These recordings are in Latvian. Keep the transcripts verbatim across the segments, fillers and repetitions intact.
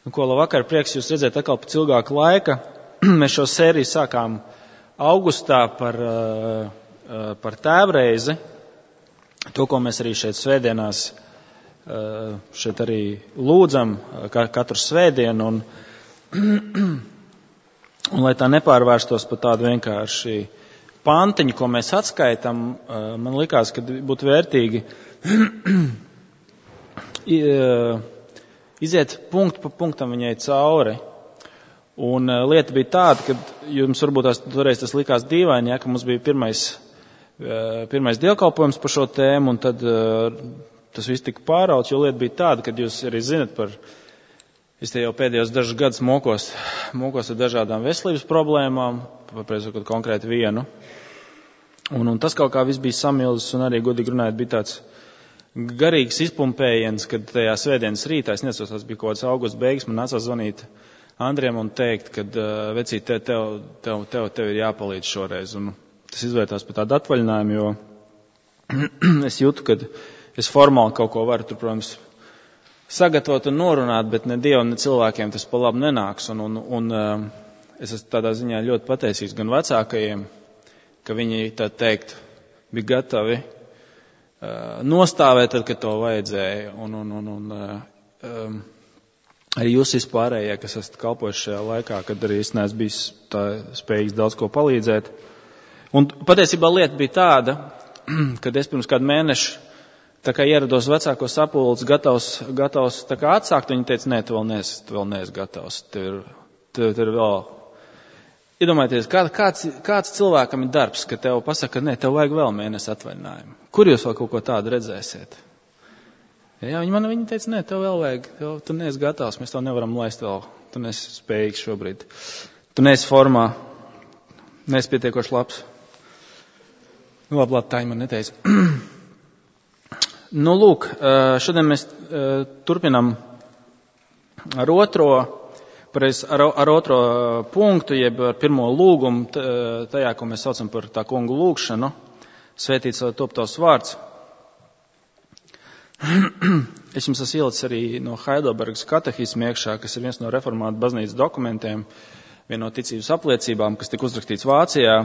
Nu, ko labvakar, prieks jūs redzēt atkal pēc ilgāka laika. Mēs šo sēriju sākām augustā par, par tēvreizi. To, ko mēs arī šeit svētdienās, šeit arī lūdzam katru svētdienu. Un, un lai tā nepārvērstos par tādu vienkārši pantiņu, ko mēs atskaitam, man likās, ka būtu vērtīgi iziet punktu pa punktam viņai cauri. Un uh, lieta bija tāda, ka jums varbūt tās, toreiz tas likās dīvaini, ja, ka mums bija pirmais, uh, pirmais dievkalpojums par šo tēmu, un tad uh, tas viss tika pārauts, jo lieta bija tāda, ka jūs arī zinat par, es te jau pēdējos dažus gadus mokos, mokos ar dažādām veselības problēmām, papreizot konkrēti vienu. Un, un tas kaut kā viss bija samilzis, un arī godīgi runājot bija tāds garīgs izpumpējiens, kad tajā svētdienas rītā, es nesaos, tas bija kaut kāds augusta beigas, man nācās zvanīt Andriem un teikt, ka uh, vecīt, tev, tev, tev, tev, tev ir jāpalīdz šoreiz. Un tas izvērtās par tādu atvaļinājumu, jo es jūtu, ka es formāli kaut ko varu tur, protams, sagatavot un norunāt, bet ne Dievam, ne cilvēkiem tas pa labu nenāks. Un, un, un uh, es esmu tādā ziņā ļoti pateicīgs gan vecākajiem, ka viņi tā teikt bija gatavi uh, nostāvēt, tad, kad to vajadzēja. Un, un, un, un, uh, um, arī jūs vispārējie, kas esat kalpojuši šajā laikā, kad arī es neesmu bijis tā spējīgs daudz ko palīdzēt. Un patiesībā lieta bija tāda, kad es pirms kādu mēnešu tā kā ierados vecāko sapulci, gatavs, gatavs tā kā atsākt, viņi teica, nē, tu vēl neesi, tu vēl neesi gatavs. Tev ir, tev, tev ir vēl. Iedomājieties, kā, kāds, kāds cilvēkam ir darbs, ka tev pasaka, nē, tev vajag vēl mēnesi atvaļinājumu. Kur jūs vēl kaut ko tādu redzēsiet? Jā, viņi man viņi teica, nē, tev vēl vajag, tev, tu neesi gatavs, mēs tev nevaram laist vēl, tu neesi spējīgs šobrīd. Tu neesi formā, neesi pietiekoši labs. Nu, labi, labi, tā viņi man neteica. Nu, lūk, šodien mēs turpinam ar otro, pareiz, ar, ar otro punktu, jeb ar pirmo lūgumu, tajā, ko mēs saucam par tā kungu lūgšanu, svētīts lai top tavs vārds. Es jums esmu ielicis arī no Heidelbergas katehisma iekšā, kas ir viens no reformātu baznīcas dokumentiem, viena no ticības apliecībām, kas tika uzrakstīts Vācijā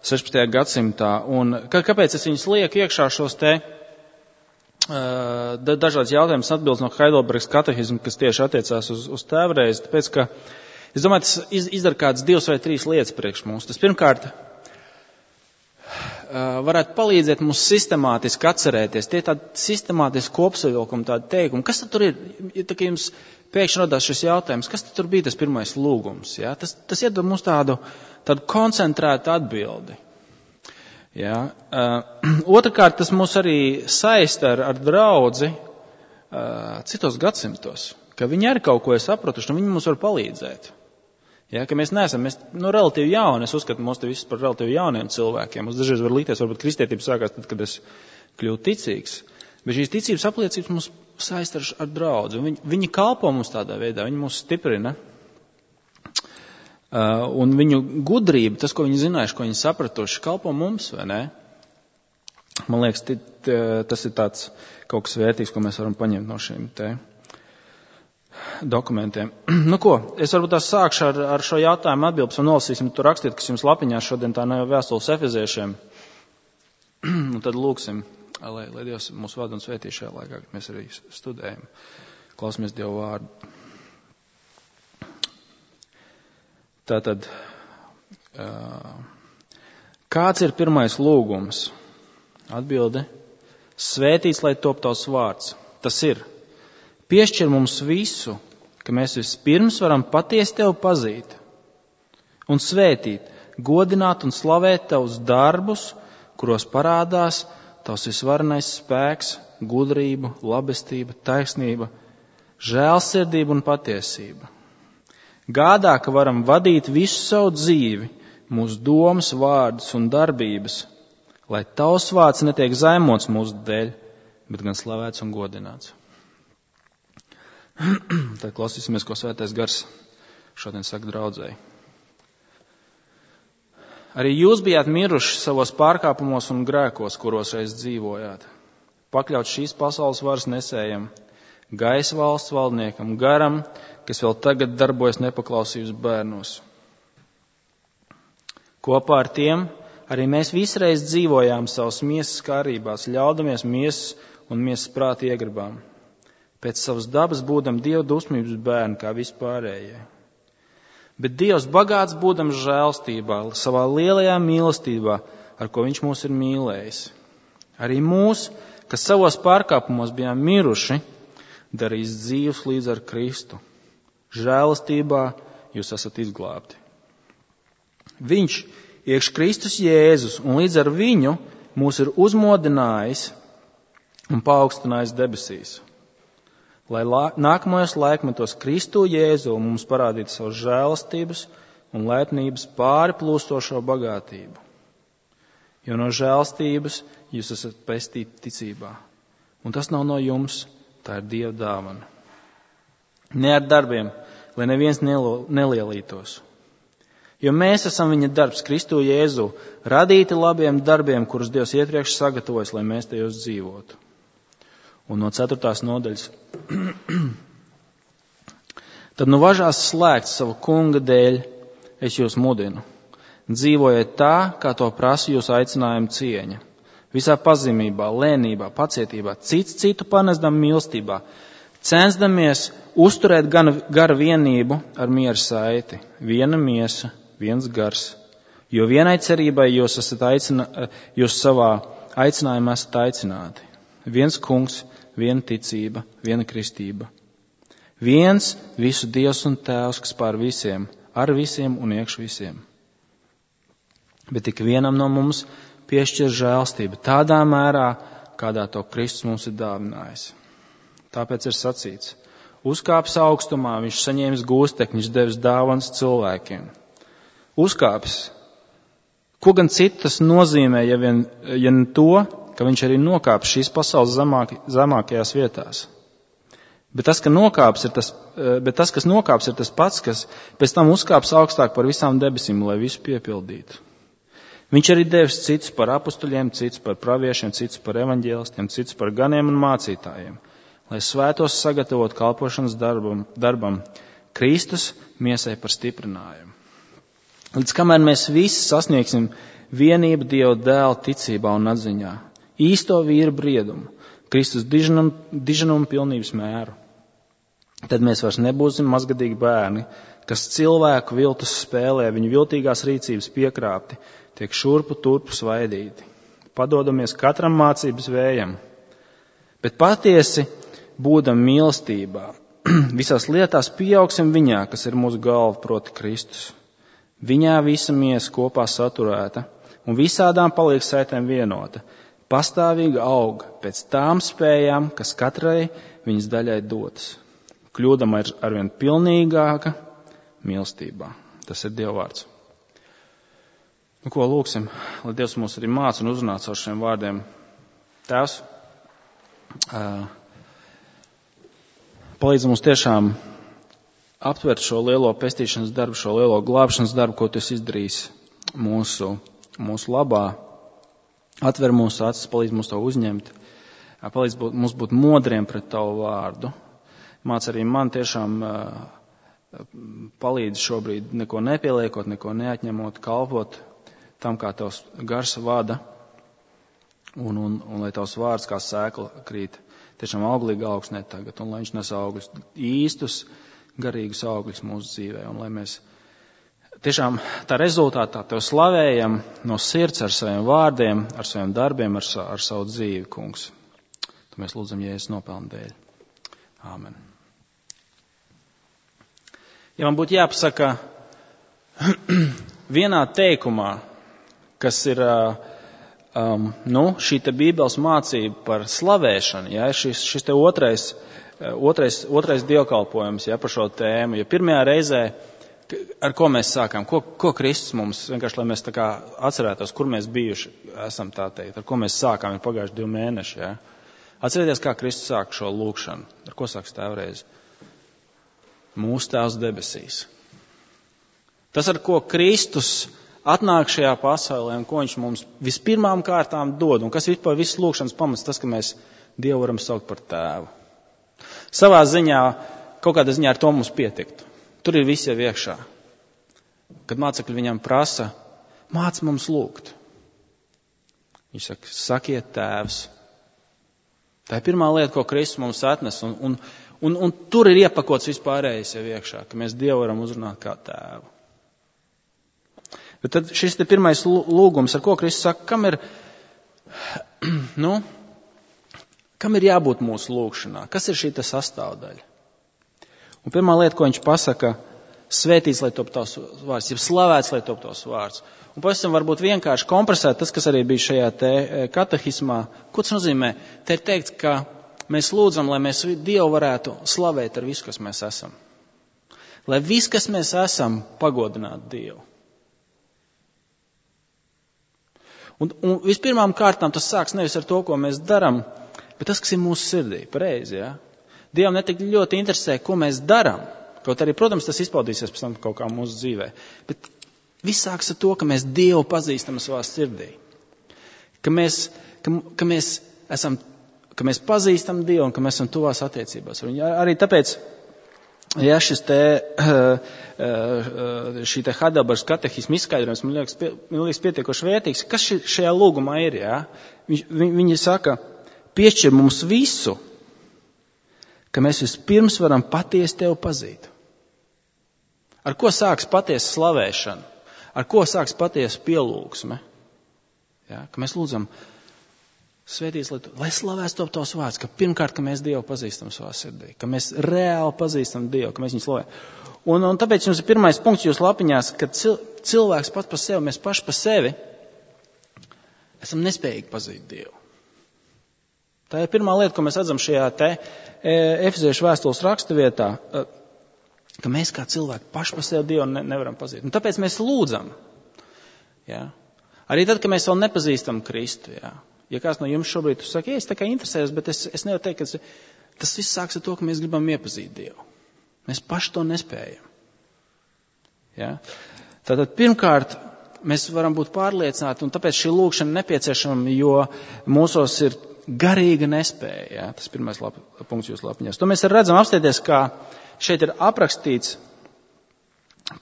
sešpadsmitajā gadsimtā. Un kāpēc es viņus lieku iekšā šos te uh, dažādas jautājumas atbildes no Heidelbergas katehisma, kas tieši attiecās uz, uz tēvreizi? Tāpēc, ka es domāju, tas iz, izdara kādas divas vai trīs lietas priekš mums. Tas pirmkārt varētu palīdzēt mums sistemātiski atcerēties. Tie tādi sistemātiski kopsavilkumi, tādi teikumi. Kas tad tur ir? Ja tā, jums pēkšņi rodās šis jautājums, kas tad tur bija tas pirmais lūgums? Ja? Tas, tas iedod mums tādu, tādu koncentrētu atbildi. Ja? Uh, otrkārt, tas mūs arī saista ar, ar draudzi uh, citos gadsimtos, ka viņi arī kaut ko ir sapratuši, un viņi mums var palīdzēt. Ja, ka mēs neesam, mēs, nu, relatīvi jauni, es uzskatu mūs te visus par relatīvi jauniem cilvēkiem. Mums dažreiz var likties, varbūt kristietība sākās tad, kad es kļūtu ticīgs. Bet šīs ticības apliecības mums saist ar, ar draudzi. Viņi, viņi kalpo mums tādā veidā, viņi mūs stiprina. Uh, un viņu gudrība, tas, ko viņi zinājuši, ko viņi sapratuši, kalpo mums, vai ne? Man liekas, t, t, tas ir tāds kaut kas vērtīgs, ko mēs varam paņemt no šīm te dokumentiem. Nu ko, es varbūt tās sākšu ar, ar šo jautājumu atbildes un nolasīsim tur rakstīt, kas jums lapiņā šodien tā nav vēstules efeziešiem. Un tad lūksim, lai, lai Dievs mūs vada un svētī šajā laikā, kad mēs arī studējam. Klausamies Dievu vārdu. Tātad, kāds ir pirmais lūgums? Atbilde, svētīts, lai top tavs vārds. Tas ir. Piešķir mums visu, ka mēs vispirms varam patiesi tevi pazīt un svētīt, godināt un slavēt tavus darbus, kuros parādās tavs visvarenais spēks, gudrība, labestība, taisnība, žēlsirdība un patiesība. Gādā, ka varam vadīt visu savu dzīvi, mūsu domas, vārdus un darbības, lai tavs vārds netiek zaimots mūsu dēļ, bet gan slavēts un godināts. Tad klausīsimies, ko svētais gars šodien saka draudzēji. Arī jūs bijāt miruši savos pārkāpumos un grēkos, kuros reiz dzīvojāt. Pakļaut šīs pasaules varas nesējam, gaisa valsts valdniekam, garam, kas vēl tagad darbojas nepaklausības bērnos. Kopā ar tiem arī mēs visreiz dzīvojām savas miesas kārībās, ļaudamies miesas un miesas prāta iegribām. Pēc savas dabas būdam Dieva dusmības bērni kā vispārējie. Bet Dievs bagāts būdam žēlstībā, savā lielajā mīlestībā, ar ko viņš mūs ir mīlējis. Arī mūs, kas savos pārkāpumos bijām miruši, darīs dzīvus līdz ar Kristu. Žēlastībā jūs esat izglābti. Viņš, iekš Kristus Jēzus, un līdz ar viņu mūs ir uzmodinājis un paaugstinājis debesīs, lai la- nākamajos laikmetos Kristu Jēzu mums parādītu savas žēlastības un laipnības pāri plūstošo bagātību. Jo no žēlastības jūs esat pestīti ticībā. Un tas nav no jums, tā ir Dieva dāvana. Ne ar darbiem, lai neviens nelo- nelielītos. Jo mēs esam viņa darbs Kristu Jēzu, radīti labiem darbiem, kurus Dievs iepriekš sagatavojas, lai mēs tajos dzīvotu. Un no ceturtās nodaļas. Tad nu važās slēgt savu kunga dēļ, es jūs mudinu. Dzīvojiet tā, kā to prasa jūsu aicinājuma cieņa. Visā pazemībā, lēnībā, pacietībā, cits citu panesdam mīlestībā, censdamies uzturēt gan garu vienību ar mieru saiti, viena miesa, viens gars, jo vienai cerībai jūs esat aicina, jūs savā aicinājumā esat aicināti. Viens kungs, viena ticība, viena kristība. Viens visu Dievs un Tēvs, kas pār visiem, ar visiem un iekš visiem. Bet tik vienam no mums piešķir žēlstība tādā mērā, kādā to Kristus mums ir dāvinājis. Tāpēc ir sacīts, uzkāpis augstumā, viņš saņēmis gūstekņus, devis dāvanas cilvēkiem. Uzkāpis. Ko gan citu tas nozīmē, ja vien, ja ne to, ka viņš arī nokāpis šīs pasaules zemāk, zemākajās vietās. Bet tas, ka nokāps ir tas, bet tas, kas nokāps, ir tas pats, kas pēc tam uzkāps augstāk par visām debesīm, lai visu piepildītu. Viņš arī devis citus par apustuļiem, citus par praviešiem, citus par evaņģēlistiem, citus par ganiem un mācītājiem, lai svētos sagatavot kalpošanas darbam, darbam Kristus miesai par stiprinājumu. Līdz kamēr mēs visi sasniegsim vienību Dieva dēla ticībā un atziņā, īsto vīru briedumu, Kristus diženumu, diženumu pilnības mēru, tad mēs vairs nebūsim mazgadīgi bērni, kas cilvēku viltus spēlē, viņu viltīgās rīcības piekrāpti, tiek šurpu turpu svaidīti. Padodamies katram mācības vējam, bet patiesi būdam mīlestībā. Visās lietās pieaugsim viņā, kas ir mūsu galva, proti Kristus. Viņā visa miesa kopā saturēta un visādām paliek saitēm vienota, pastāvīgi aug pēc tām spējām, kas katrai viņas daļai dotas. Kļūdama ir arvien pilnīgāka mīlestībā. Tas ir Dieva vārds. Nu, ko lūksim, lai Dievs mūs arī māca un uzrunā caur šiem vārdiem. Tēvs, palīdz mums tiešām aptvert šo lielo pestīšanas darbu, šo lielo glābšanas darbu, ko tu esi izdarījis mūsu, mūsu labā. Atver mūsu acis, palīdz mums to uzņemt, palīdz būt, mums būt modriem pret tavu vārdu. Māc arī man tiešām palīdz šobrīd neko nepieliekot, neko neatņemot, kalpot tam, kā tavs gars vada, un, un, un lai tavs vārds kā sēkla krīt tiešām auglīgi augsnē tagad, un lai viņš nes augļus, īstus, garīgus augļus mūsu dzīvē, un lai mēs tiešām tā rezultātā tev slavējam no sirds ar saviem vārdiem, ar saviem darbiem, ar, sa, ar savu dzīvi, kungs. Tu mēs lūdzam Jēzus nopelnu dēļ. Āmen. Ja man būtu jāpasaka vienā teikumā, kas ir um, nu, šī te Bībeles mācība par slavēšanu, ja, šis, šis te otrais, otrais, otrais dievkalpojums, ja, par šo tēmu. Ja pirmajā reizē, ar ko mēs sākām, ko, ko Kristus mums, vienkārši, lai mēs tā kā atcerētos, kur mēs bijuši, esam tā teikt, ar ko mēs sākām, ir pagājuši divi mēneši, ja. Atcerieties, kā Kristus sāk šo lūkšanu, ar ko sāks tēvreiz? Mūsu Tēvs debesīs. Tas, ar ko Kristus atnāk šajā pasaulē un ko viņš mums vispirmām kārtām dod, un kas vispār visas lūkšanas pamats, tas, ka mēs Dievu varam saukt par tēvu. Savā ziņā kaut kādā ziņā ar to mums pietiktu. Tur ir visi jau iekšā. Kad mācekļi viņam prasa, māc mums lūgt. Viņš saka, sakiet Tēvs. Tā ir pirmā lieta, ko Kristus mums atnes, un, un, un, un tur ir iepakots vispārējais jau iekšā, ka mēs Dievu varam uzrunāt kā Tēvu. Bet tad šis te pirmais lūgums, ar ko Kristus saka, kam ir, nu, kam ir jābūt mūsu lūgšanā? Kas ir šī te sastāvdaļa? Un pirmā lieta, ko viņš pasaka, svētīts, lai top tavs vārds, jeb slavēts, lai top tavs vārds. Un pavisam varbūt vienkārši kompresēt tas, kas arī bija šajā te katehismā. Ko tas nozīmē? Te ir teikts, ka mēs lūdzam, lai mēs Dievu varētu slavēt ar visu, kas mēs esam. Lai viss, kas mēs esam, pagodinātu Dievu. Un, un vispirmām kārtām tas sāks nevis ar to, ko mēs daram, bet tas, kas ir mūsu sirdī, pareizi, ja? Dievam netik ļoti interesē, ko mēs daram. Kaut arī, protams, tas izpaudīsies pēc tam kaut kā mūsu dzīvē. Bet viss sāks ar to, ka mēs Dievu pazīstam savā sirdī. Ka mēs, ka, ka mēs esam, ka mēs pazīstam Dievu un ka mēs esam tuvās attiecībās. Un arī tāpēc, ja šis te, šī te Heidelbergas katehisma izskaidrojums, man liekas, pie, man liekas pietiekoši vērtīgs, kas šajā lūgumā ir, jā? Viņi, viņi saka, piešķir mums visu, ka mēs vispirms varam patiesi Tevi pazīt. Ar ko sāks patiesa slavēšana? Ar ko sāks patiesa pielūgsme? Ja, ka mēs lūdzam, svētīts, lai, lai slavēs top Tavs vārds, ka pirmkārt, ka mēs Dievu pazīstam savā sirdī, ka mēs reāli pazīstam Dievu, ka mēs viņu slavējam. Un, un tāpēc jums ir pirmais punkts jūs lapiņās, ka cil, cilvēks pats par sevi, mēs paši par sevi esam nespējīgi pazīt Dievu. Tā ir pirmā lieta, ko mēs redzam šajā te Efeziešu vēstules rakstuvietā, ka mēs kā cilvēki paši par sevi Dievu ne, nevaram pazīt. Un tāpēc mēs lūdzam. Ja? Arī tad, kad mēs vēl nepazīstam Kristu. Ja, ja kāds no jums šobrīd tu saka, ja es tā kā interesējos, bet es, es nevaru teikt, ka tas, tas viss sāks ar to, ka mēs gribam iepazīt Dievu. Mēs paši to nespējam. Ja? Tātad pirmkārt, mēs varam būt pārliecināti, un tāpēc šī lūgšana nepieciešama, jo mūsos ir garīga nespēja. Ja? Tas pirmais lap, punkts jūs lapiņās. To mēs redzam apstieties, kā šeit ir aprakstīts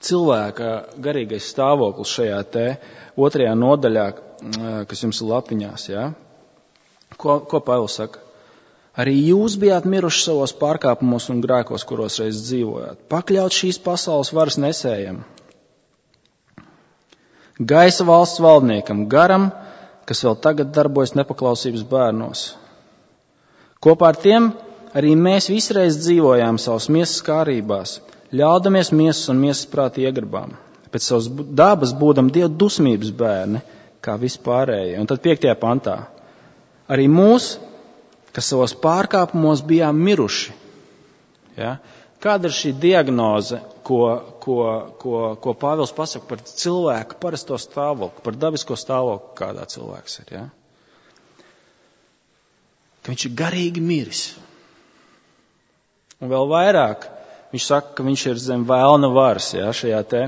cilvēka garīgais stāvoklis šajā te otrajā nodaļā, kas jums ir lapiņās. Ja? Ko, ko Pāvils saka? Arī jūs bijāt miruši savos pārkāpumos un grēkos, kuros reiz dzīvojāt. Pakļaut šīs pasaules varas nesējam. Gaisa valsts valdniekam, garam, kas vēl tagad darbojas nepaklausības bērnos. Kopā ar tiem arī mēs visreiz dzīvojām savas miesas kārībās, ļaudamies miesas un miesas prāta iegribām. Pēc savas dabas būdam Dieva dusmības bērni, kā vispārējie. Un tad piektajā pantā. Arī mūs, kas savos pārkāpumos bijām miruši. Ja? Kāda ir šī diagnoze, ko, ko, ko, ko Pāvils pasaka par cilvēku parasto stāvokli, par dabisko stāvokli, kādā cilvēks ir? Ja? Ka viņš ir garīgi miris. Un vēl vairāk, viņš saka, ka viņš ir zem vēlna varas, ja, šajā te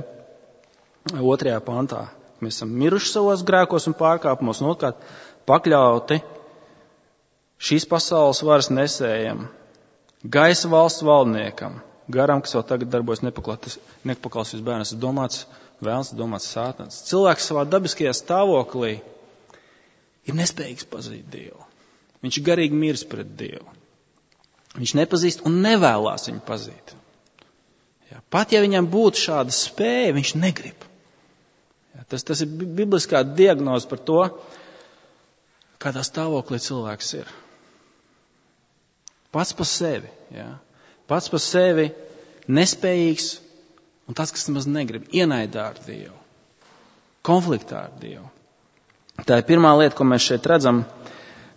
otrajā pantā. Mēs esam miruši savos grēkos un pārkāpumos, un otrkārt pakļauti šīs pasaules varas nesējam, gaisa valsts valdniekam, garam, kas vēl tagad darbojas nepaklausības bērnas, ir domāts vēlns, domāts sātans. Cilvēks savā dabiskajā stāvoklī ir nespējīgs pazīt Dievu. Viņš ir garīgi miris pret Dievu. Viņš nepazīst un nevēlās viņu pazīt. Ja, pat ja viņam būtu šāda spēja, viņš negrib. Ja, tas, tas ir bibliskā diagnoze par to, kādā stāvoklī cilvēks ir. Pats par sevi. Ja, pats par sevi nespējīgs un tāds, kas nemaz negrib. Ienaidā ar Dievu. Konfliktā ar Dievu. Tā ir pirmā lieta, ko mēs šeit redzam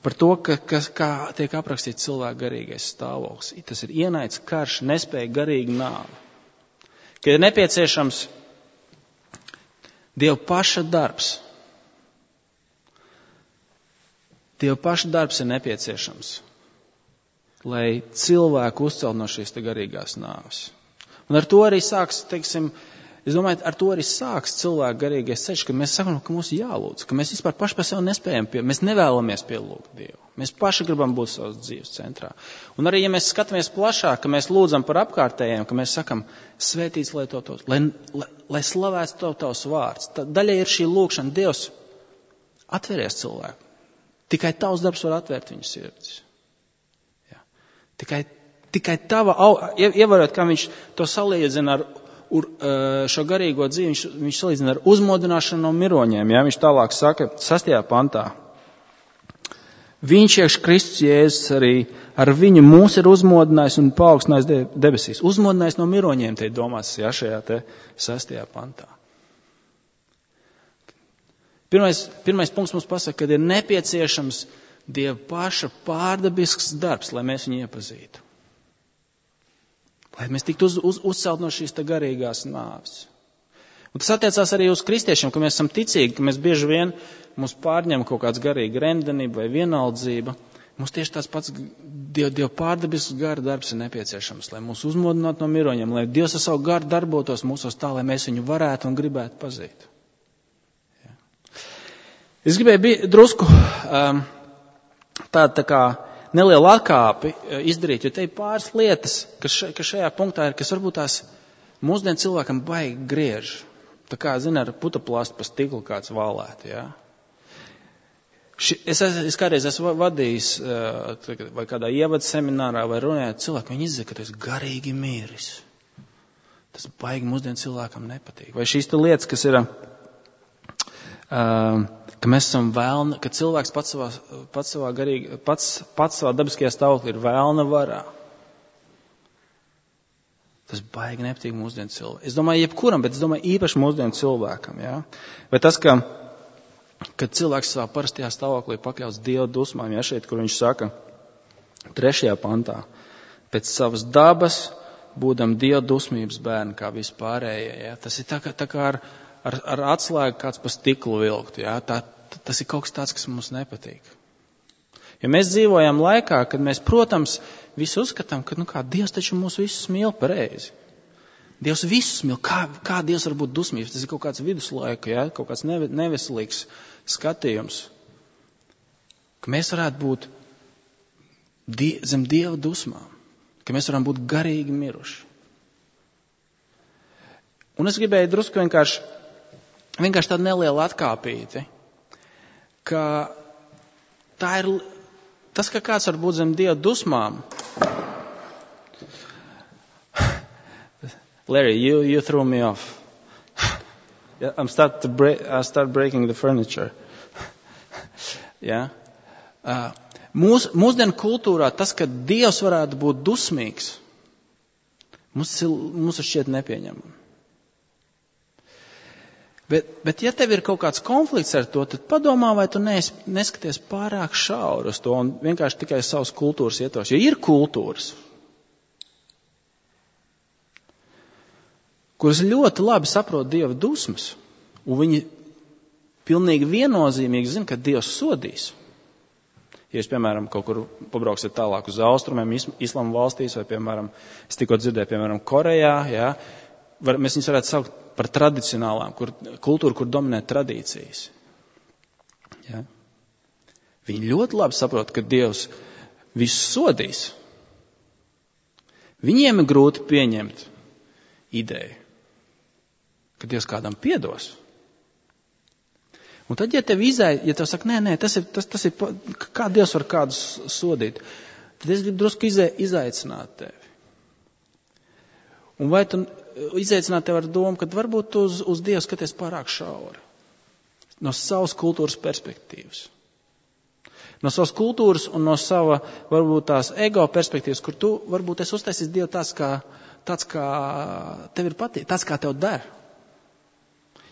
par to, ka, ka, kā tiek aprakstīts cilvēka garīgais stāvoklis. Tas ir ienaids, karš, nespēja, garīga nāve. Ka ir nepieciešams Dieva paša darbs. Dieva paša darbs ir nepieciešams, lai cilvēku uzcelt no šīs te garīgās nāves. Un ar to arī sāks, teiksim, Es domāju, ar to arī sāks cilvēku garīgais ceļš, ka mēs sakam, ka mums jālūdz, ka mēs vispār paši par sevi nespējam, pie, mēs nevēlamies pielūgt Dievu. Mēs paši gribam būt savas dzīves centrā. Un arī, ja mēs skatāmies plašāk, ka mēs lūdzam par apkārtējiem, ka mēs sakam, svētīts, lai to tos, lai, lai, lai slavēts to tavs vārds. Tā daļai ir šī lūkšana, Dievs, atveries cilvēku. Tikai tavs darbs var atvērt viņu sirdis. Jā. Tikai, tikai tava, ievarot, kā viņš to salīdzina ar Ur, šo garīgo dzīvi, viņš, viņš salīdzina ar uzmodināšanu no miroņiem. Ja? Viņš tālāk saka, sastajā pantā. Viņš iekš Kristus Jēzus arī ar viņu mūs ir uzmodinājis un paaugstinājis debesīs. Uzmodinājis no miroņiem, te domās, ja, šajā te sastajā pantā. Pirmais, pirmais punkts mums pasaka, ka ir nepieciešams Dieva paša pārdabisks darbs, lai mēs viņu iepazītu. Lai mēs tiktu uz, uz, uzcelt no šīs te garīgās nāves. Un tas attiecās arī uz kristiešiem, ka mēs esam ticīgi, ka mēs bieži vien mums pārņem kaut kāds garīga remdenība vai vienaldzība. Mums tieši tāds pats Dieva, Dieva pārdabisks gara darbs ir nepieciešams, lai mūs uzmodinātu no miroņiem, lai Dievs ar savu garu darbotos mūsos tā, lai mēs viņu varētu un gribētu pazīt. Ja. Es gribēju drusku um, tādu tā kā nelielu atkāpi izdarīt, jo te ir pāris lietas, kas, še, kas šajā punktā ir, kas varbūt tās mūsdienu cilvēkam baigi griež. Tā kā, zina, ar putaplāstu pa stiklu kāds valēt, jā. Ši, es, es kādreiz esmu vadījis, vai kādā ievada seminārā, vai runājot cilvēku, viņi izzina, ka tu esi garīgi miris. Tas baigi mūsdienu cilvēkam nepatīk. Vai šīs te lietas, kas ir, uh, ka mēs esam vēlna, ka cilvēks pats savā, pats savā garīgi, pats, pats savā dabiskajā stāvoklī ir vēlna varā. Tas baigi nepatīk mūsdienu cilvēkam. Es domāju, jebkuram, bet es domāju īpaši mūsdienu cilvēkam, jā. Vai tas, ka, kad cilvēks savā parastajā stāvoklī pakļauts Dieva dusmām, jā, šeit, kur viņš saka, trešajā pantā, pēc savas dabas, būdam Dieva dusmības bērni, kā vispārējie, jā. Tas ir tā kā, tā kā ar, ar, ar atslēgu kāds pa stiklu vilkt, jā. Tā, tas ir kaut kas tāds, kas mums nepatīk. Ja mēs dzīvojam laikā, kad mēs, protams, visu uzskatām, ka, nu kā, Dievs taču mūs visus mīl pareizi. Dievs visus mīl. Kā, kā Dievs var būt dusmīgs? Tas ir kaut kāds viduslaika, ja? Kaut kāds neveselīgs skatījums. Ka mēs varētu būt die, zem Dieva dusmām. Ka mēs varam būt garīgi miruši. Un es gribēju drusku vienkārši, vienkārši tādu nelielu atkāpīti, ka tā ir, tas, ka kāds var būt zem Dieva dusmām. Larry, you, you threw me off. I'm start to break, I start breaking the furniture. yeah. uh, mūs, mūsdienu kultūrā tas, ka Dievs varētu būt dusmīgs, mums, mums šķiet nepieņemami. Bet, bet ja tev ir kaut kāds konflikts ar to, tad padomā, vai tu nes, neskaties pārāk šauri uz to un vienkārši tikai savas kultūras ietvaros. Jo ir kultūras, kuras ļoti labi saprot Dieva dusmas, un viņi pilnīgi viennozīmīgi zina, ka Dievs sodīs. Ja jūs, piemēram, kaut kur pabrauksiet tālāk uz austrumiem, islama valstīs, vai, piemēram, es tikko dzirdēju, piemēram, Korejā, jā, var, mēs viņus varētu saukt par tradicionālām, kur, kultūru, kur dominē tradīcijas. Ja? Viņi ļoti labi saprot, ka Dievs visu sodīs. Viņiem ir grūti pieņemt ideju, ka Dievs kādam piedos. Un tad, ja tev izai, ja tev saka, nē, nē, tas ir, tas, tas ir, kā Dievs var kādus sodīt, tad es gribu drusku izai, izaicināt tevi. Un vai tu izaicināt tev ar domu, ka varbūt tu uz, uz Dievu skaties pārāk šauri. No savas kultūras perspektīvas. No savas kultūras un no sava, varbūt tās ego perspektīvas, kur tu varbūt esi uztaisījis Dievu tāds, kā, tāds, kā tev ir patīk, tāds, kā tev der.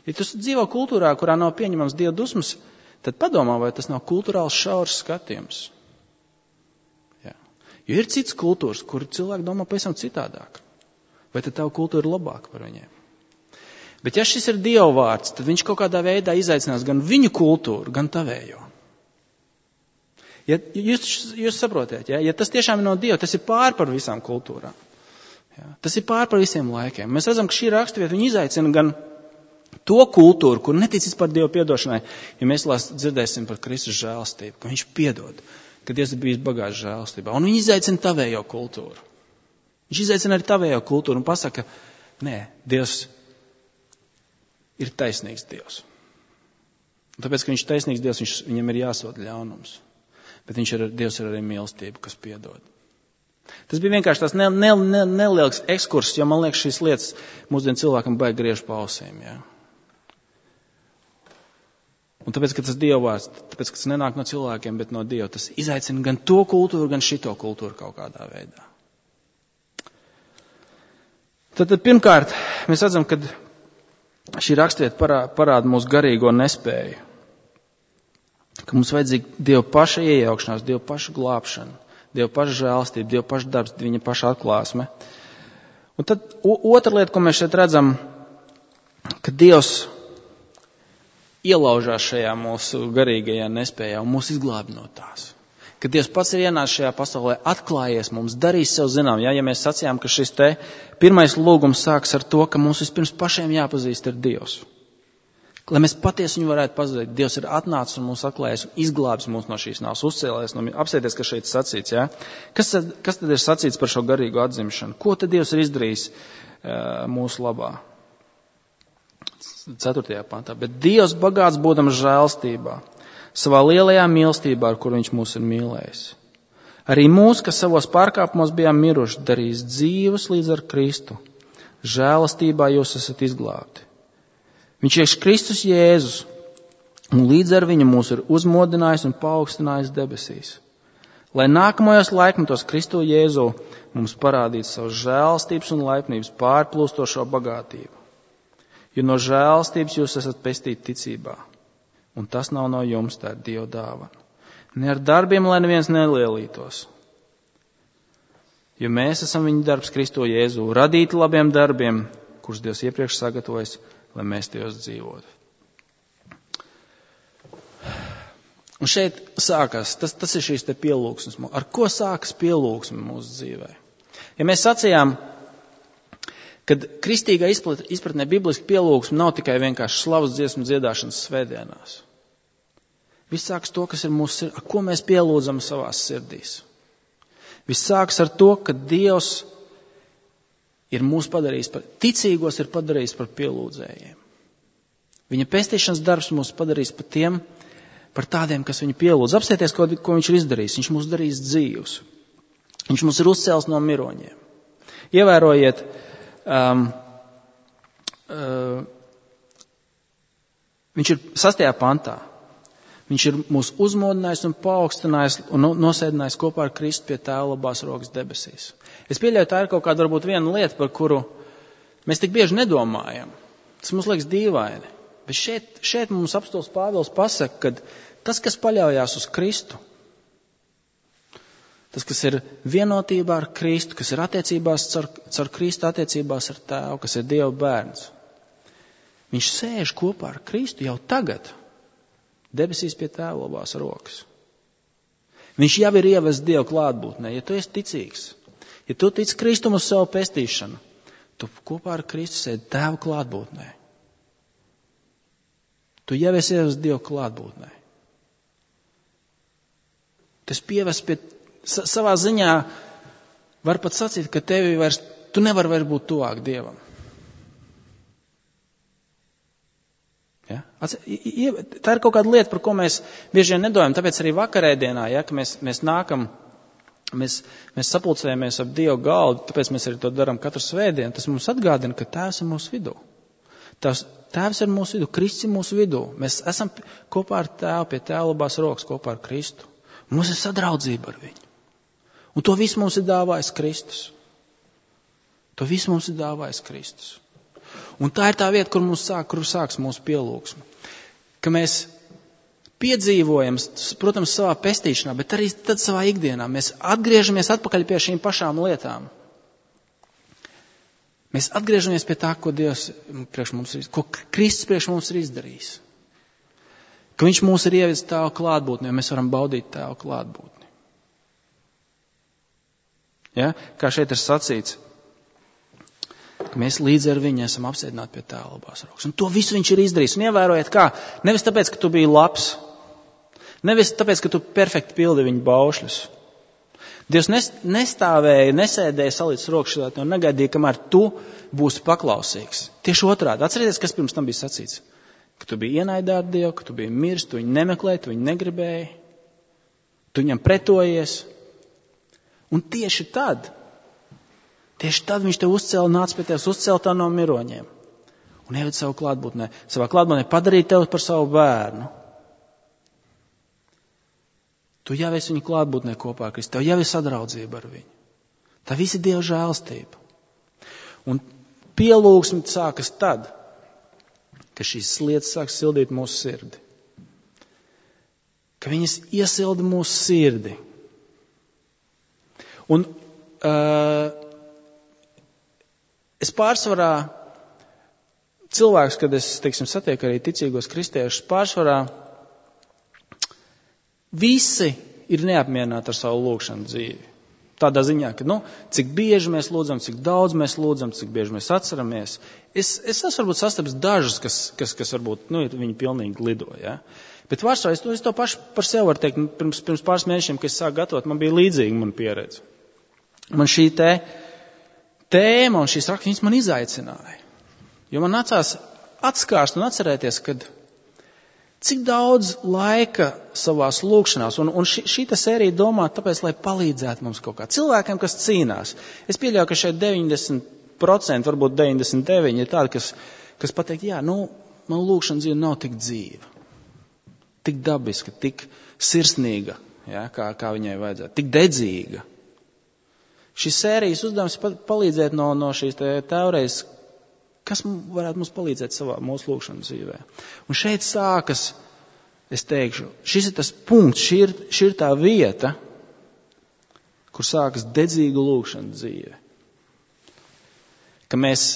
Ja tu dzīvo kultūrā, kurā nav pieņemams Dieva dusmas, tad padomā, vai tas nav kultūrāls šaurs skatījums. Jā. Jo ir cits kultūras, kur cilvēki domā pavisam citādāk. Vai tad tava kultūra ir labāka par viņiem? Bet ja šis ir Dieva vārds, tad viņš kaut kādā veidā izaicinās gan viņu kultūru, gan tavējo. Ja jūs, jūs saprotiet, ja? Ja tas tiešām ir no Dieva, tas ir pār par visām kultūrām. Ja? Tas ir pār par visiem laikiem. Mēs redzam, ka šī raksturvieta viņa izaicina gan to kultūru, kur netic vispār Dieva piedošanai, ja mēs dzirdēsim par Kristus žēlastību, ka viņš piedod, ka Dievs ir bijis bagāts žēlastībā. Un viņš izaicina tavējo kultūru. Viņš izaicina arī tavējo kultūru un pasaka, nē, Dievs ir taisnīgs Dievs. Un tāpēc, ka viņš ir taisnīgs Dievs, viņš, viņam ir jāsoda ļaunums. Bet viņš ir, Dievs ir arī mīlestība, kas piedod. Tas bija vienkārši tās ne, ne, ne, neliels ekskurss, jo man liekas šīs lietas mūsdienu cilvēkam baigi griež pa ausīm. Ja? Un tāpēc, ka tas Dieva vārds, tāpēc, ka tas nenāk no cilvēkiem, bet no Dieva, tas izaicina gan to kultūru, gan šito kultūru kaut kādā veidā. Tad, tad pirmkārt, mēs redzam, ka šī rakstvieta parā, parāda mūsu garīgo nespēju. Ka mums vajadzīga Dieva paša iejaukšanās, Dieva paša glābšana. Dieva paša žēlastība, Dieva paša darbs, viņa paša atklāsme. Un tad otra lieta, ko mēs šeit redzam, ka Dievs ielaužās šajā mūsu garīgajā nespējā un mūs izglābi no tās. Ka Dievs pats ir ienācis šajā pasaulē, atklājies mums, darīs sev zinām. Ja, ja mēs sacījām, ka šis te pirmais lūgums sāks ar to, ka mums vispirms pašiem jāpazīst ar Dievs. Lai mēs patiesi viņu varētu pazudīt, Dievs ir atnācis un mūs atklājies un izglābis mūs no šīs nāves, uzcēlēs. No, apsēties, kas šeit sacīts, ja? Kas, kas tad ir sacīts par šo garīgo atzimšanu? Ko tad Dievs ir izdarījis uh, mūsu labā? Ceturtajā pantā. Bet Dievs bagāts būdams žēlstībā, savā lielajā mīlestībā, ar kuru viņš mūs ir mīlējis. Arī mūs, kas savos pārkāpumos bijām miruši, darīs dzīvus līdz ar Kristu. Žēlastībā jūs esat izglābti. Viņš ir Kristus Jēzus, un līdz ar viņu mūs ir uzmodinājis un paaugstinājis debesīs. Lai nākamajos laikmetos Kristu Jēzu mums parādītu savu žēlastības un laipnības pārplūstošo bagātību. Jo no žēlastības jūs esat pestīti ticībā, un tas nav no jums, tā ir Dieva dāvana. Ne ar darbiem, lai neviens nelielītos. Jo mēs esam viņa darbs Kristu Jēzu, radīti labiem darbiem, kurus Dievs iepriekš sagatavojas, lai mēs tajos dzīvotu. Un šeit sākas, tas, tas ir šīs te pielūgsmes. Ar ko sākas pielūgsme mūsu dzīvē? Ja mēs sacījām, kad kristīgā izpratnē bibliski pielūgsme nav tikai vienkārši slavas dziesmu dziedāšanas svētdienās. Viss sākas to, kas ir mūsu sirdī, ar ko mēs pielūdzam savās sirdīs. Viss sākas ar to, ka Dievs ir mūs padarījis par, ticīgos ir padarījis par pielūdzējiem. Viņa pestīšanas darbs mūs padarījis par tiem, par tādiem, kas viņu pielūdz. Apsieties, ko, ko viņš ir izdarījis. Viņš mūs darījis dzīvus. Viņš mūs ir uzcēlis no miroņiem. Ievērojiet, um, uh, viņš ir sastajā pantā. Viņš ir mūs uzmodinājis un paaugstinājis un nosēdinājis kopā ar Kristu pie Tēva labās rokas debesīs. Es pieļauju, tā ir kaut kāda varbūt viena lieta, par kuru mēs tik bieži nedomājam. Tas mums liekas dīvaini. Bet šeit, šeit mums apstāsts Pāvils pasaka, ka tas, kas paļaujās uz Kristu, tas, kas ir vienotībā ar Kristu, kas ir attiecībās caur, caur Kristu attiecībās ar Tēvu, kas ir Dieva bērns, viņš sēž kopā ar Kristu jau tagad. Debesīs pie Tēva labās rokas. Viņš jau ir ievests Dieva klātbūtnē. Ja tu esi ticīgs, ja tu tici Kristum uz savu pestīšanu, tu kopā ar Kristu sēdi Tēva klātbūtnē. Tu jau esi ievests Dieva klātbūtnē. Tas pievest pie savā ziņā var pat sacīt, ka tevi vairs, tu nevar vairs būt tuvāk Dievam. Ja? Tā ir kaut kāda lieta, par ko mēs bieži vien nedomājam. Tāpēc arī vakarēdienā, ja, ka mēs, mēs nākam, mēs, mēs sapulcējamies ap Dievu galdu, tāpēc mēs arī to darām katru svētdienu. Tas mums atgādina, ka Tēvs ir mūsu vidū. Tās, tēvs ir mūsu vidū, Kristus ir mūsu vidū. Mēs esam kopā ar Tēvu, pie Tēva labās rokas, kopā ar Kristu. Mums ir sadraudzība ar viņu. Un to visu mums ir dāvājis Kristus. To visu mums ir dāvājis Kristus. Un tā ir tā vieta, kur mums sāk, kur sāks mūsu pielūgsme. Ka mēs piedzīvojam, protams, savā pestīšanā, bet arī tad savā ikdienā. Mēs atgriežamies atpakaļ pie šīm pašām lietām. Mēs atgriežamies pie tā, ko Dievs priekš mums ir, ko Kristus priekš mums ir izdarījis. Ka viņš mūs ir ievedis Tēva klātbūtni, jo mēs varam baudīt Tēva klātbūtni. Ja? Kā šeit ir sacīts, ka mēs līdz ar viņu esam apsēdināti pie Tēva labās rokas. Un to visu viņš ir izdarījis. Un ievērojiet kā, nevis tāpēc, ka tu biji labs, nevis tāpēc, ka tu perfekti pildi viņa baušļus. Dievs nestāvēja, nesēdēja salīdz rokas šādā un negaidīja, kamēr tu būsi paklausīgs. Tieši otrādi. Atcerieties, kas pirms tam bija sacīts. Ka tu biji ienaidā ar Dievu, ka tu biji mirs, tu viņu nemeklēji, tu viņu negribēji, tu viņam pretojies. Un tieši tad, tieši tad viņš tev uzcēla, nāca pie tevis, uzcēla tā no miroņiem. Un ieved savu klātbūtnē, savā klātbūtnē padarīja tevi par savu bērnu. Tu jau esi viņu klātbūtnē kopā ar Kristu, tev jau ir sadraudzība ar viņu. Tā visi Dieva žēlstība. Un pielūgsme sākas tad, ka šīs lietas sāk sildīt mūsu sirdi. Ka viņas iesilda mūsu sirdi. Un uh, es pārsvarā cilvēks, kad es, teiksim, satieku arī ticīgos kristiešus, pārsvarā visi ir neapmierināti ar savu lūgšanu dzīvi. Tādā ziņā, ka, nu, cik bieži mēs lūdzam, cik daudz mēs lūdzam, cik bieži mēs atceramies. Es, es esmu varbūt sastaps dažus, kas, kas, kas varbūt, nu, viņi pilnīgi lido, ja. Bet vārdsvarā, es, es to pašu par sevi varu teikt, pirms, pirms pāris mēnešiem, kad es sāku gatavot, man bija līdzīga mana pieredze. Man šī te tēma un šīs raksts, viņas man izaicināja. Jo man nācās atskārst un atcerēties, kad cik daudz laika savās lūkšanās, un, un šī, šī sērija domā tāpēc, lai palīdzētu mums kaut kā. Cilvēkiem, kas cīnās. Es pieļauju, ka šeit deviņdesmit procenti, varbūt deviņdesmit deviņi ir tādi, kas, kas pateikt, jā, nu, man lūkšana dzīve nav tik dzīva, tik dabiska, tik sirsnīga, jā, kā, kā viņai vajadzētu, tik dedzīga. Šis sērijas uzdevums palīdzēt no, no šīs teorijas, kas varētu mums palīdzēt savā mūsu lūkšanas dzīvē. Un šeit sākas, es teikšu, šis ir tas punkts, šī ir, šī ir tā vieta, kur sākas dedzīga lūkšana dzīve. Ka mēs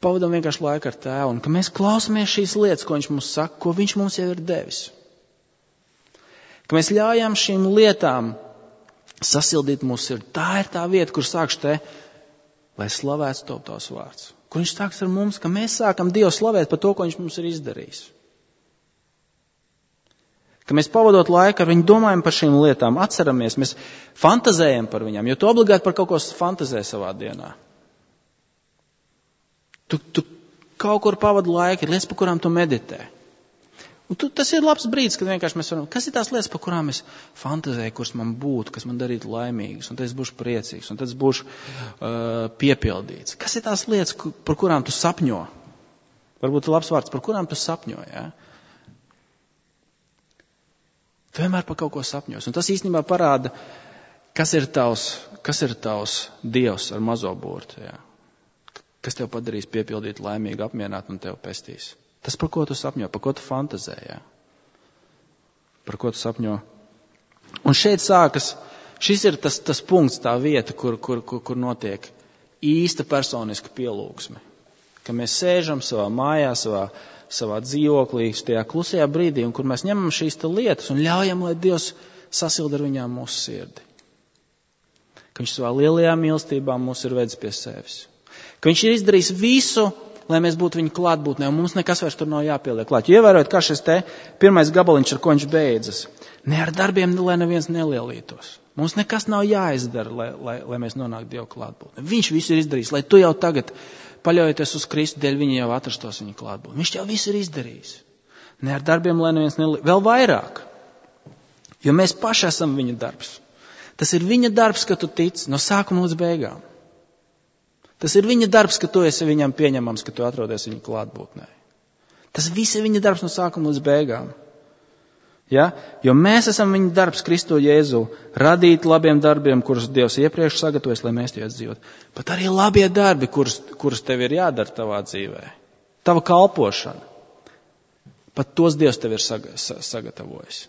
pavadām vienkārši laiku ar Tēvu un ka mēs klausamies šīs lietas, ko viņš mums saka, ko viņš mums jau ir devis. Ka mēs ļaujam šīm lietām sasildīt mūsu sirdi. Tā ir tā vieta, kur sākš te, lai slavēts top tavs vārds. Kur viņš sāks ar mums, ka mēs sākam Dievu slavēt par to, ko viņš mums ir izdarījis. Ka mēs pavadot laiku ar viņu domājam par šīm lietām, atceramies, mēs fantazējam par viņām, jo tu obligāti par kaut ko fantazē savā dienā. Tu, tu kaut kur pavadi laiku, ir lietas, par kurām tu meditē. Un tu, tas ir labs brīdis, kad vienkārši mēs varam, kas ir tās lietas, par kurām es fantazēju, kuras man būtu, kas man darītu laimīgas, un tad es būšu priecīgs, un tad es būšu uh, piepildīts. Kas ir tās lietas, par kurām tu sapņo? Varbūt ir labs vārds, par kurām tu sapņo, jā? Tu vienmēr par kaut ko sapņos, un tas īstenībā parāda, kas ir tavs, kas ir tavs Dievs ar mazo burtu, jā? Kas tev padarīs piepildīt laimīgi, apmierināt un tev pestīs. Tas, par ko tu sapņo, par ko tu fantazē, jā. Par ko tu sapņo. Un šeit sākas, šis ir tas, tas punkts, tā vieta, kur, kur, kur, kur notiek īsta personiska pielūgsme. Ka mēs sēžam savā mājā, savā, savā dzīvoklī, tajā klusajā brīdī, un kur mēs ņemam šīs lietas un ļaujam, lai Dievs sasilda ar viņām mūsu sirdi. Ka viņš savā lielajā mīlestībā mūs ir vedis pie sevis. Ka viņš ir izdarījis visu, lai mēs būtu viņa klātbūtnē, un mums nekas vairs tur nav jāpieliek klāt. Ievērojot, kā šis te pirmais gabaliņš, ar ko viņš beidzas. Ne ar darbiem, lai neviens nelielītos. Mums nekas nav jāizdara, lai, lai, lai mēs nonāktu Dievu klātbūtnē. Viņš visu ir izdarījis, lai tu jau tagad, paļaujoties uz Kristu dēļ, viņi jau atrastos viņa klātbūtnē. Viņš jau visu ir izdarījis. Ne ar darbiem, lai neviens nelielītos. Vēl vairāk. Jo mēs paši esam viņa darbs. Tas ir viņa darbs, ka tu tici no sākuma līdz beigām. Tas ir viņa darbs, ka tu esi viņam pieņemams, ka tu atrodies viņa klātbūtnē. Tas viss ir viņa darbs no sākuma līdz beigām. Ja? Jo mēs esam viņa darbs Kristu Jēzu, radīt labiem darbiem, kurus Dievs iepriekš sagatavojas, lai mēs tajos dzīvot. Pat arī labie darbi, kurus, kurus tev ir jādara tavā dzīvē. Tava kalpošana. Pat tos Dievs tev ir sagatavojis.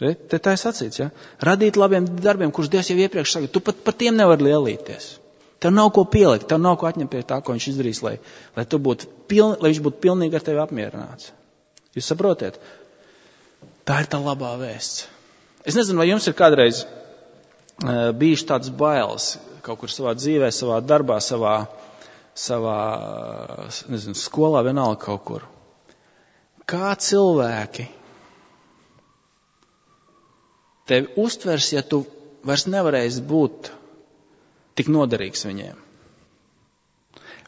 Te tā ir sacīts, ja? Radīt labiem darbiem, kurus Dievs jau iepriekš sagatavojas. Tu pat par tiem nevar lielīties. Tev nav ko pielikt, tev nav ko atņemt pie tā, ko viņš izdarīs, lai, lai, tu būtu piln, lai viņš būtu pilnīgi ar tevi apmierināts. Jūs saprotiet? Tā ir tā labā vēsts. Es nezinu, vai jums ir kādreiz uh, bijuši tāds bailes kaut kur savā dzīvē, savā darbā, savā, savā, nezinu, skolā, vienalga kaut kur. Kā cilvēki tevi uztvers, ja tu vairs nevarēsi būt tik noderīgs viņiem?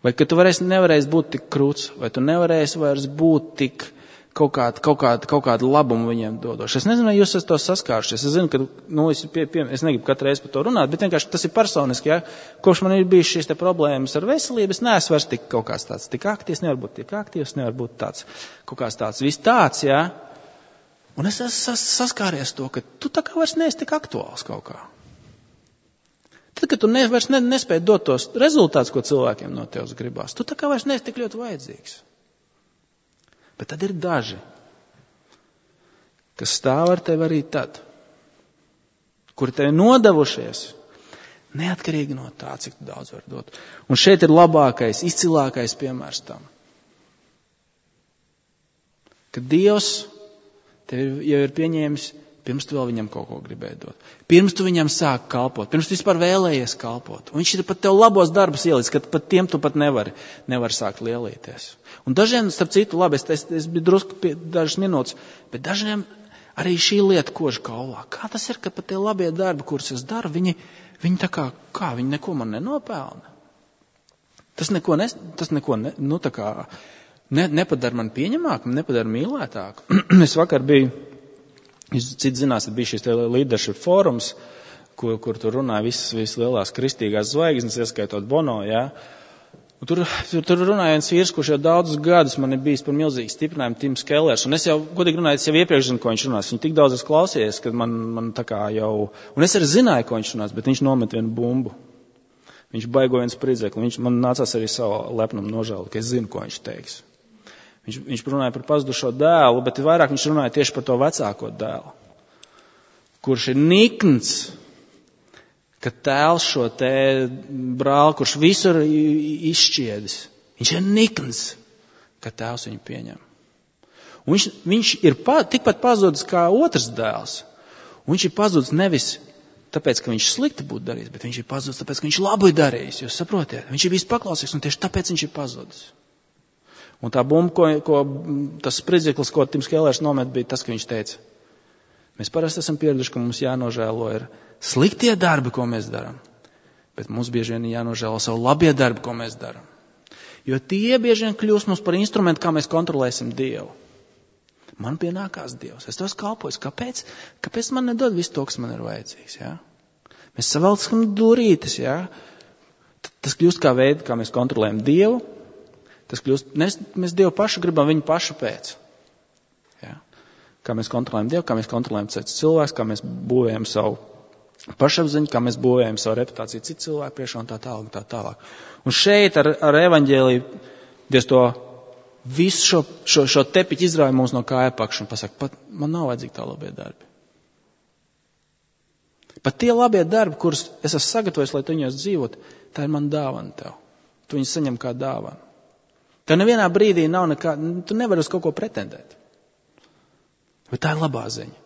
Vai ka tu varēsi, nevarēsi būt tik krūts, vai tu nevarēsi vairs būt tik kaut kādu, kaut kādu, kaut kādu labumu viņiem dodoši. Es nezinu, vai jūs esat to saskārušies. Es zinu, ka, nu, es, pie, pie, es negribu katru reizi par to runāt, bet vienkārši tas ir personiski, ja. Kopš man ir bijis šīs te problēmas ar veselību, es neesmu vairs tik kaut kāds tāds, tik aktīvs, nevar būt tik aktīvs, nevar būt tāds, kaut kāds tāds, viss tāds, ja. Un es esmu saskāries to, ka tu tā kā vairs neesi tik aktuāls kaut kā. Tad, kad tu ne, vairs ne, nespēji dot tos rezultātus, ko cilvēkiem no tevis gribās, tu tā kā vairs neesi tik ļoti vajadzīgs. Bet tad ir daži, kas stāv ar tevi arī tad, kuri tevi nodevušies, neatkarīgi no tā, cik tu daudz var dot. Un šeit ir labākais, izcilākais piemērs tam. Ka Dievs tevi jau ir pieņēmis, pirms tu vēl viņam kaut ko gribēji dot. Pirms tu viņam sāk kalpot, pirms tu vispār vēlējies kalpot. Un viņš ir pat tev labos darbus ielicis, ka pat tiem tu pat nevari, nevari sākt lielīties. Un dažiem, starp citu, labi, es, es, es biju drusku pie dažas minūtes, bet dažiem arī šī lieta kož kaulā. Kā tas ir, ka pat tie labie darbi, kurus es daru, viņi, viņi tā kā, kā, viņi neko man nenopelna? Tas neko, ne, tas neko ne, nu tā kā, ne, nepadara man pieņemāku, nepadara mīlētāku. Es vakar biju, jūs citi zinās, bija šis leadership fórums, kur, kur tur runāja visas, visas lielās kristīgās zvaigznes, ieskaitot Bono, jā. Un tur, tur, tur runāja viens vīrs, kurš jau daudzus gadus man ir bijis par milzīgu stiprinājumu, Tims Kellers. Un es jau, godīgi runāju, es jau iepriekš zinu, ko viņš runās. Viņu tik daudz es klausījies, kad man, man tā kā jau... Un es arī zināju, ko viņš runās, bet viņš nomet vienu bumbu. Viņš baigo viens spridzekli. Viņš man nācās arī savu lepnumu nožēlot, ka es zinu, ko viņš teiks. Viņš, viņš runāja par pazudušo dēlu, bet vairāk viņš runāja tieši par to vecāko dēlu, kurš ir nikns, ka tēls šo te brāli, kurš visur izšķiedis, viņš ir nikns, ka tēvs viņu pieņem. Un viņš, viņš ir pa, tikpat pazudis kā otrs dēls. Un viņš ir pazudis nevis tāpēc, ka viņš slikti būtu darījis, bet viņš ir pazudis tāpēc, ka viņš labi darījis. Jūs saprotiet? Viņš ir bijis paklausīgs un tieši tāpēc viņš ir pazudis. Un tā bumba, ko, ko tas spridzeklis, ko Tims Kellers nomet, bija tas, ka viņš teica, mēs parasti esam pieraduši, ka mums jānožēlo ir sliktie darbi, ko mēs darām, bet mums bieži vien jānožēlo savu labie darbi, ko mēs darām. Jo tie bieži vien kļūst mums par instrumentu, kā mēs kontrolēsim Dievu. Man pienākās Dievs, es tos kalpoju. Kāpēc? Kāpēc man nedod visu to, kas man ir vajadzīgs? Ja? Mēs savelcam durītes. Ja? Tas kļūst kā veidi, kā mēs kontrolējam Dievu. Tas kļūst, mēs, mēs Dievu pašu gribam viņu pašu pēc. Ja? Kā mēs kontrolējam Dievu, kā mēs kontrolējam citus cilvēkus, kā mēs būvējam savu pašapziņu, kā mēs būvējam savu reputāciju citu cilvēku priekšā un tā tālāk, tā tālāk. Un šeit ar, ar evaņģēliju Dievs to visu šo, šo, šo tepiķi izrauja mums no kāja pakšu un pasaka, pat man nav vajadzīgi tā labie darbi. Pat tie labie darbi, kurus es esmu sagatavojis, lai tu viņos dzīvot, tā ir man dāvana tev. Tu viņus saņem kā dāvana. Tev nevienā brīdī nav nekā, tu nevari uz kaut ko pretendēt. Bet tā ir labā ziņa.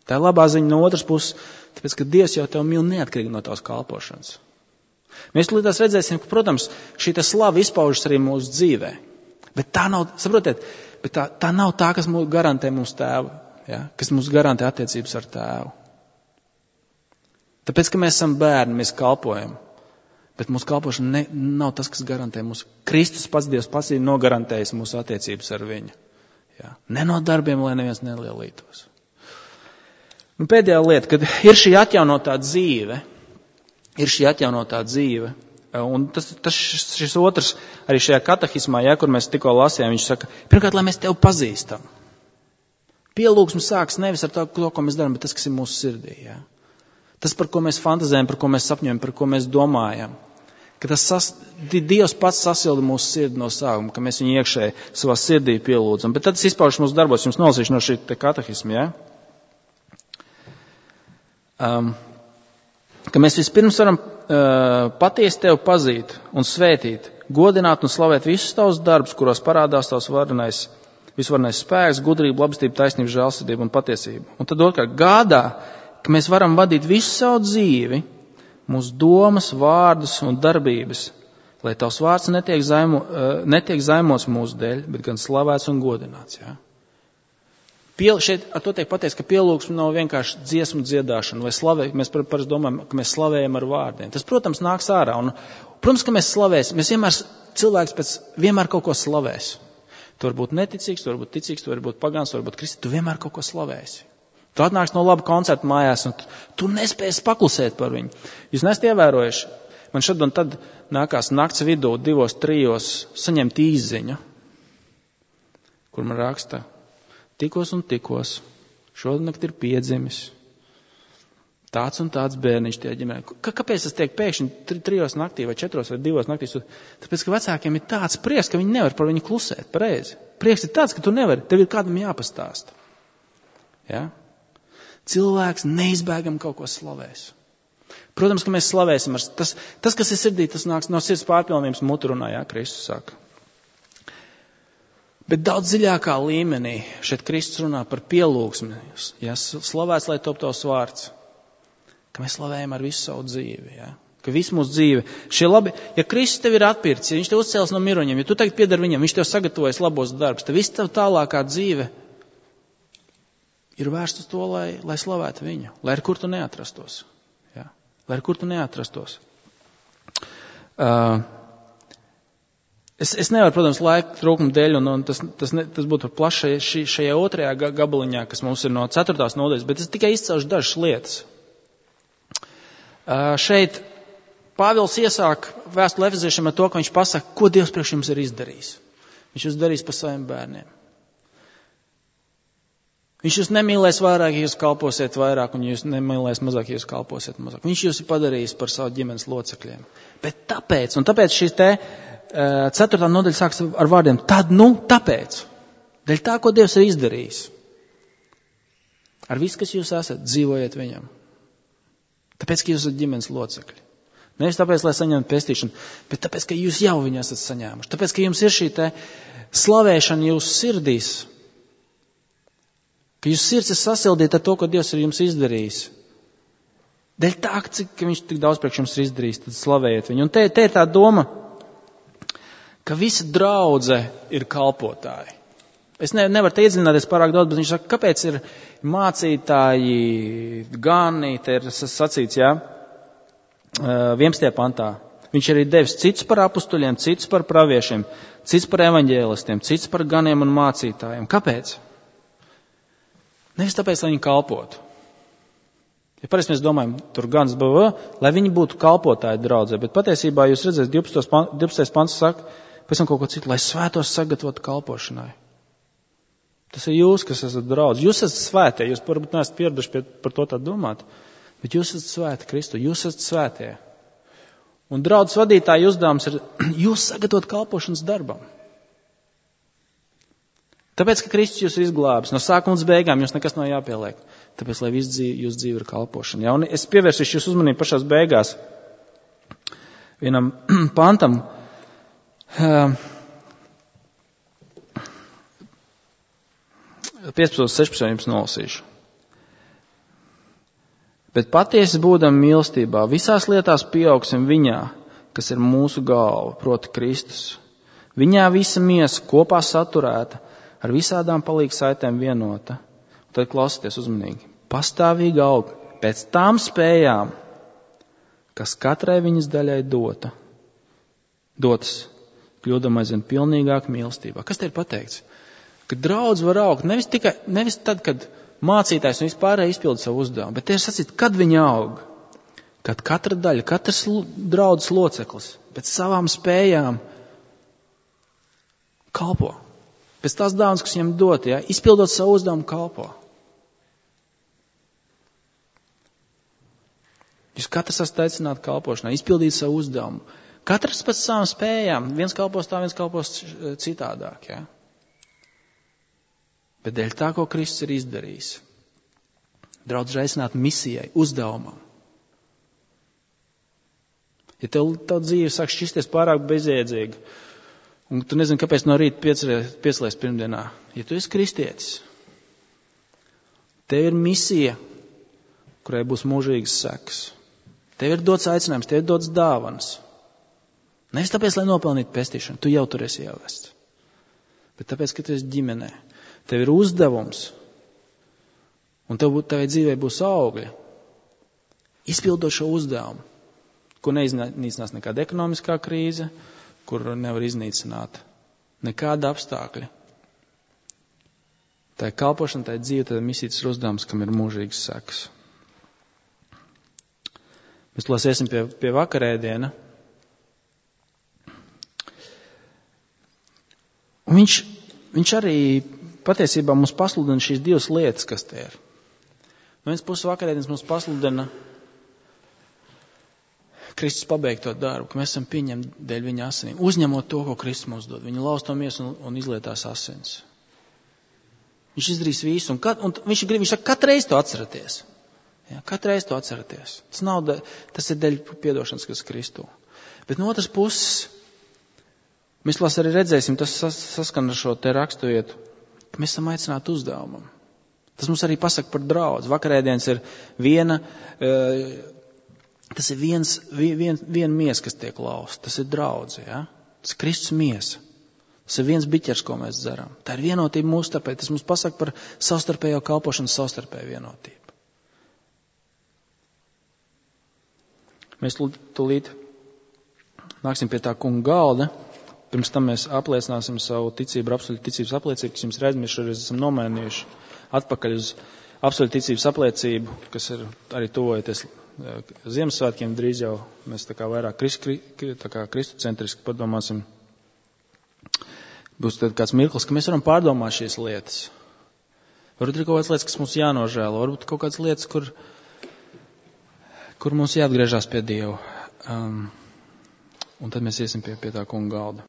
Tā ir labā ziņa no otras puses, tāpēc, ka Dievs jau tev mīl neatkarīgi no tavas kalpošanas. Mēs līdzās redzēsim, ka, protams, šī tā slava izpaužas arī mūsu dzīvē. Bet tā nav, saprotiet, bet tā, tā nav tā, kas mums garantē mums tēvu, ja? Kas mums garantē attiecības ar tēvu. Tāpēc, ka mēs esam bērni, mēs kalpojam. Bet mūsu kalpošana ne, nav tas, kas garantē mūsu. Kristus pats Dievs pats ir nogarantējis mūsu attiecības ar viņu. Ja? Ne no darbiem, lai neviens nelielītos. Un pēdējā lieta, kad ir šī atjaunotā dzīve, ir šī atjaunotā dzīve, un tas, tas šis otrs, arī šajā katehismā, ja, kur mēs tikko lasījām, viņš saka, pirmkārt, lai mēs tevi pazīstam. Pielūgsme sāks nevis ar to, ko mēs darām, bet tas, kas ir mūsu sirdī. Ja. Tas, par ko mēs fantazējam, par ko mēs sapņojam, par ko mēs domājam. Ka tas sas, Dievs pats sasilda mūsu sirdi no sākuma, ka mēs viņu iekšēji savā sirdī pielūdzam. Bet tad tas izpaužas mūsu darbos, jums nolasīšu no šī te katehisma, ja. Um, ka mēs vispirms varam uh, patiesi tevi pazīt un svētīt, godināt un slavēt visus tavus darbus, kuros parādās tavs varenais, visvarenais spēks, gudrība, labestība, taisnība, žēlsirdība un patiesība. Un tad otrkārt gādā, ka mēs varam vadīt visu savu dzīvi, mūsu domas, vārdus un darbības Lai tavs vārds netiek, zaimo, netiek zaimots mūsu dēļ, bet gan slavēts un godināts. Ja? Piel, šeit ar to tiek pateiks, ka pielūgsme nav vienkārši dziesmu dziedāšana vai slavē. Mēs parasti domājam, ka mēs slavējam ar vārdiem. Tas, protams, nāks ārā. Un, protams, ka mēs slavēsim. Mēs vienmēr, cilvēks pēc vienmēr kaut ko slavēs. Tu vari būt neticīgs, tu vari būt ticīgs, tu vari būt pagāns, tu vari būt kristīgs. Tu vienmēr kaut ko slavēsi. Tu atnāks no laba koncerta mājās un tu, tu nespēsi paklusēt par viņu. Jūs nesat ievērojuši. Man šad un tad nākās nakts vidū divos, trijos saņemt īsziņu, kur man raksta, tikos un tikos, šodien ir piedzimis. Tāds un tāds bērniņš tie ģimenē. K- kāpēc tas tiek pēkšņi tri, trijos naktī vai četros vai divos naktīs? Tāpēc, ka vecākiem ir tāds prieks, ka viņi nevar par viņu klusēt, pareizi. Prieks ir tāds, ka tu nevari, tev ir kādam jāpastāsta. Ja? Cilvēks neizbēgam kaut ko slavēs. Protams, ka mēs slavēsim. Tas, tas kas ir sirdī, tas nāks no sirds pārpilnības mutu runā, jā, Kristus saka. Bet daudz dziļākā līmenī šeit Kristus runā par pielūgsmi. Ja? Slavēts, lai top tavs vārds. Ka mēs slavējam ar visu savu dzīvi, ja? Ka visu mūsu dzīve. Šie labi, ja Kristus tev ir atpircis, ja viņš tev uzcēlis no miruņiem, ja tu tagad piedar viņam, viņš tev sagatavojas labos darbus, tad viss tev tālākā dzīve ir vērsta uz to, lai, lai slavētu viņu, lai ar kur tu neatrastos. Ja? Lai ar kur tu neatrastos. Uh, es, es nevaru, protams, laika trūkuma dēļ, un, un tas, tas, ne, tas būtu plaši šajā, šajā otrajā gabaliņā, kas mums ir no ceturtās nodaļas, bet es tikai izcelšu dažas lietas. Uh, šeit Pāvils iesāk vēstuli Efeziešiem ar to, ka viņš pasaka, ko Dievs priekš jums ir izdarījis. Viņš jūs darīs par saviem bērniem. Viņš jūs nemīlēs vairāk, ja jūs kalposiet vairāk, un jūs nemīlēs mazāk, ja jūs kalposiet mazāk. Viņš jūs ir padarījis par savu ģimenes locekļiem. Bet tāpēc, un tāpēc šī te uh, ceturtā nodaļa sāks ar vārdiem, tad, nu, tāpēc. Dēļ tā, ko Dievs ir izdarījis. Ar visu, kas jūs esat, dzīvojiet viņam. Tāpēc, ka jūs esat ģimenes locekļi. Nevis tāpēc, lai saņemtu pestīšanu, bet tāpēc, ka jūs jau viņu esat saņēmuši. Tāpēc, ka jums ir šī te slavēšana jūsu sirdīs. Ka jūs sirds ir sasildīta ar to, ko Dievs ir jums izdarījis. Dēļ tā, cik viņš tik daudz priekš jums ir izdarījis, tad slavējiet viņu. Un te, te ir tā doma, ka visa draudze ir kalpotāji. Es ne, nevaru te iedziļināties pārāk daudz, bet viņš saka, kāpēc ir mācītāji, gani, te ir sacīts, jā, vienpadsmitajā pantā. Viņš arī devis cits par apustuļiem, cits par praviešiem, cits par evaņģēlistiem, cits par ganiem un mācītājiem. Kāpēc? Nevis tāpēc, lai viņi kalpotu. Ja parasti mēs domājam, tur gans B V, lai viņi būtu kalpotāji draudzē, bet patiesībā jūs redzēs, divpadsmitais pants saka, pēc tam kaut ko citu, lai svētos sagatavotu kalpošanai. Tas ir jūs, kas esat draudz. Jūs esat svētie, jūs varbūt neesat pieraduši pie, par to tā domāt, bet jūs esat svēti Kristu, jūs esat svētie. Un draudz vadītāja uzdevums ir jūs sagatavot kalpošanas darbam. Tāpēc, ka Kristus jūs ir izglābis, no sākuma līdz beigām jums nekas nav jāpieliek. Tāpēc, lai viss dzīve, jūs dzīve ir kalpošana. Ja? Un es pievērsīšu jūs uzmanību pašās beigās vienam pantam. Uh, piecpadsmit, sešpadsmit jums nolasīšu. Bet patiesi būdam mīlestībā, visās lietās pieaugsim viņā, kas ir mūsu galva, proti Kristus. Viņā visa miesa kopā saturēta, ar visādām palīgu saitēm vienota. Un tad klausieties uzmanīgi. Pastāvīgi aug pēc tām spējām, kas katrai viņas daļai dota. Dotas, kļūdam aizvien pilnīgāk mīlestībā. Kas te ir pateikts? Ka draudz var augt nevis tikai, nevis tad, kad mācītājs un vispārēji izpilda savu uzdevumu, bet te ir sacīt, kad viņi aug, kad katra daļa, katrs draudzes loceklis pēc savām spējām kalpo. Pēc tās dāvanas, kas viņam dot, ja, izpildot savu uzdevumu, kalpo. Jūs katrs esat aicināti kalpošanā, izpildīt savu uzdevumu. Katrs pēc savām spējām, viens kalpos tā, viens kalpos citādāk, ja. Bet dēļ tā, ko Kristus ir izdarījis, draudz ir aicināti misijai, uzdevumam. Ja tev tā dzīve sāk šķisties pārāk bezjēdzīga, un tu nezini, kāpēc no rīta piecelies pirmdienā, ja tu esi kristietis, tev ir misija, kurai būs mūžīgas sekas. Tev ir dots aicinājums, tev ir dots dāvanas. Nevis tāpēc, lai nopelnītu pestīšanu, tu jau tur esi ievests. Bet tāpēc, ka tu esi ģimenē, tev ir uzdevums, un tev tavai dzīvē būs augļi. Izpildot šo uzdevumu, ko neiznīcinās nekāda ekonomiskā krīze, kur nevar iznīcināt nekāda apstākļa. Tā ir kalpošana, tā ir dzīve, tā ir misijas uzdevums, kam ir mūžīgs sekas. Mēs lasiesim pie, pie vakarēdiena. Un viņš, viņš arī patiesībā mums pasludina šīs divas lietas, kas te ir. No vienas puses vakarēdienas mums pasludina Kristus pabeigto darbu, ka mēs esam pieņemti dēļ viņa asinīm, uzņemot to, ko Kristus mums dod. Viņa lauž to miesu un, un izlietās asins. Viņš izdarīs visu, un, kat, un viņš grib, viņš saka, katreiz to atceraties. Ja, katreiz to atceraties. Tas nav, da, tas ir dēļ piedošanas, kas Kristū. Bet no otras puses, mēs lās arī redzēsim, tas sas, saskan ar šo te raksturvietu, ka mēs esam aicināti uzdevumam. Tas mums arī pasaka par draudzi. Vakarēdienas ir viena, tas ir viens, vien, viena miesa, kas tiek lausta. Tas ir draudzi, ja? Tas ir Kristus miesa. Tas ir viens biķers, ko mēs dzeram. Tā ir vienotība mūsu starpē. Tas mums pasaka par savstarpējo kalpošanu, savstarpēju vienotību. Mēs tūlīt nāksim pie tā kunga galda. Pirms tam mēs apliecināsim savu ticību, absolūtu ticības apliecību, kas jums ir aizmirsuši, arī esam nomainījuši atpakaļ uz absolūtu ticības apliecību, kas ir arī tuvojoties Ziemassvētkiem. Drīz jau mēs tā kā vairāk kristucentriski padomāsim. Būs tad kāds mirklis, ka mēs varam pārdomāt šīs lietas. Varbūt ir kaut kādas lietas, kas mums jānožēlo. Varbūt kaut kādas lietas, kur, kur mums jāatgriežās pie Dieva. Um, un tad mēs iesim pie, pie tā kunga galda.